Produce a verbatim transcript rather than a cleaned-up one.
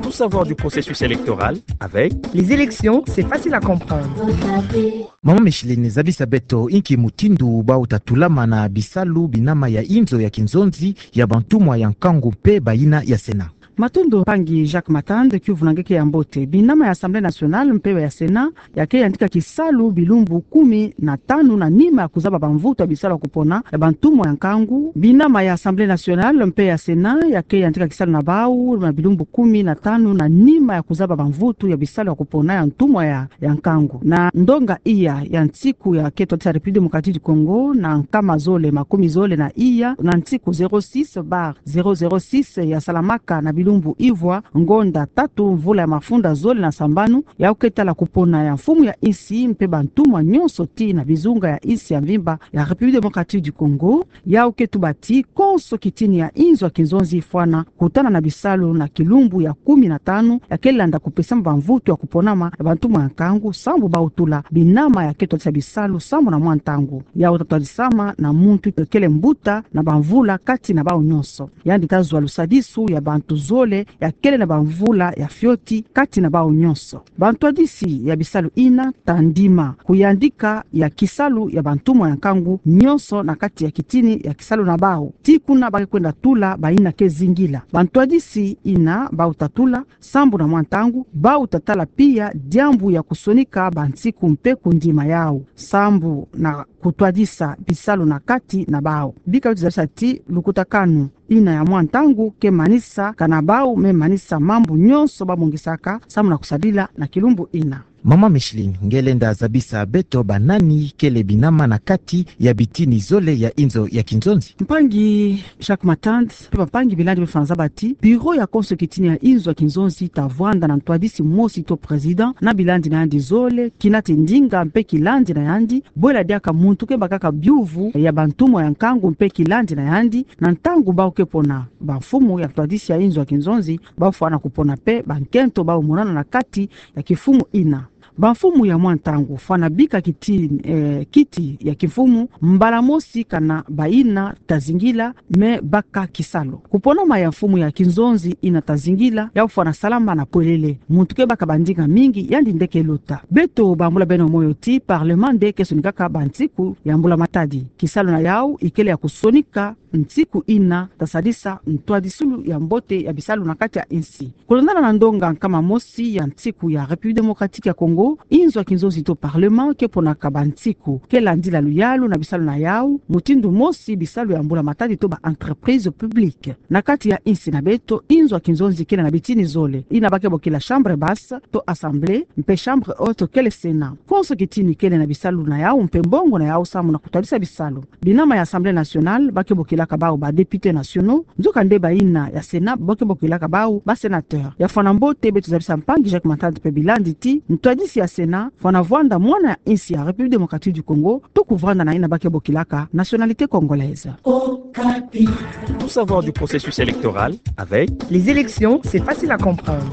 Tout savoir du processus électoral avec Les élections, c'est facile à comprendre. Mama Micheline, zabisa beto inki mutindu bau tatulama na bisalu binama ya inzo ya kinzonzi ya bantumwa ya nkangu mpe bayina ya Sénat. Matondo mpangi Jacques Matand, ki vunanga nge ke ya mbote. Binama ya Assemblée nationale mpe ya Sénat ya ke yandika kisalu bilumbu kumi na tanu na nima ya kuzaba bamvutu ya bisalu ya kupona ya bantumwa ya nkangu. Binama ya Assemblée nationale mpe ya Sénat ya ke yandika kisalu na bau na bilumbu kumi na tanu na nima ya kuzaba bamvutu ya bisalu ya kupona ya ntumwa ya, ya nkangu. Na ndonga iya ya nsiku ya ke twadisa République démocratique du Congo, na nkama zole makumi zole na iya, na nsiku zéro six bar zéro zéro six ya salamaka na bilumbu ivwa, ngonda tatu, mvula ya mafunda zole na sambanu, yau ke tala kupona ya mfumu ya insi mpe bantumwa nyonso tii na bizunga ya insi ya mvimba ya République démocratique du Congo. Yau ke tuba ti konso kitini ya inzo ya kinzonzi ifwana kutana na bisalu na kilumbu ya kumi na tanu ya ke landa kupesama bamvutu ya kuponama ya bantumwa ya nkangu, sambu bau tula binama ya ke twadisa bisalu sambu na mwa ntangu. Yau tatwadisama na muntu kele mbuta na bamvula kati na bau nyonso. Yandi tazwa lusadisu ya bantu zole ya kele na bamvula ya fioti kati na bau nyonso. Bantwadisi ya bisalu ina ta ndima kuyandika ya kisalu ya bantumwa ya nkangu nyonso na kati ya kitini ya kisalu na bau. Tii kuna ba ke kwenda tula bayina ke zingila. Bantwadisi ina bau tatula sambu na mwa ntangu, bau tatala pia diambu ya kusonika bansiku mpe kundima yau sambu na kutwadisa bisalu na kati na bau. Bika beto zabisa ti lukutakanu ina ya mwa ntangu ke manisa kana bau me manisa mambu nyonso ba mongisaka sambu na kusadila na kilumbu ina. Mama Micheline, nge lenda zabisa beto banani kele binama na kati ya bitini zole ya inzo ya kinzonzi? Mpangi Jacques Matand, mpe bampangi bilandi bafwana zaba ti bureau ya konso kitini ya inzo ya kinzonzi ta vwanda na ntwadisi mosi to président na bilandi na yandi zole, kina ti ndinga mpe kilandi na yandi, bwela diaka muntu ke bakaka biuvu ya bantumwa ya nkangu mpe kilandi na yandi, na ntangu bau ke pona bamfumu ya ntwadisi ya inzo ya kinzonzi, bau fwana kupona mpe bankento bau monana na kati ya kimfumu ina. Bamfumu ya mwa ntangu fwana bika kiti, eh, kiti ya kimfumu mbala mosi kana bayina ta zingila me baka kisalu. Kuponama ya mfumu ya kinzonzi ina ta zingila, yau fwana salama na pwelele. Muntu ke baka bandinga mingi, yandi nde ke luta. Beto bambula beno moyo ti parlement nde ke sonikaka bansiku ya mbula matadi. Kisalu na yau ikele ya kusonika nsiku ina ta sadisa ntwadisulu ya mbote ya bisalu na kati ya insi. Kulandana na ndonga nkama mosi ya nsiku ya République démocratique ya Congo, inzo ya kinzonzi to parlement ke ponaka bansiku ke landila luyalu na bisalu na yau, mutindu mosi bisalu ya mbula matadi to ba entreprises publiques. Na kati ya insi na beto, inzo ya kinzonzi kele na bitini zole, ina ba ke bokila chambre basse to assemblée, mpe chambre haute kele Sénat. Konso kitini kele na bisalu na yau mpe mbongo na yau samu na kutwadisa bisalu. Binama ya Assemblée nationale ba ke bokilaka bau ba députés nationaux, nzokande bayina ya Sénat ba ke bokilaka bau ba sénateurs. Ya fwana mbote beto zabisa mpangi Jacques Matand mpe bilandi ti ntwadisi ya Sénat fwana vwanda mwana ya insi ya République démocratique du Congo, to kuvwanda na yina ba ke bokilaka nationalité congolaise. Tout savoir du processus électoral avec Les élections, c'est facile à comprendre.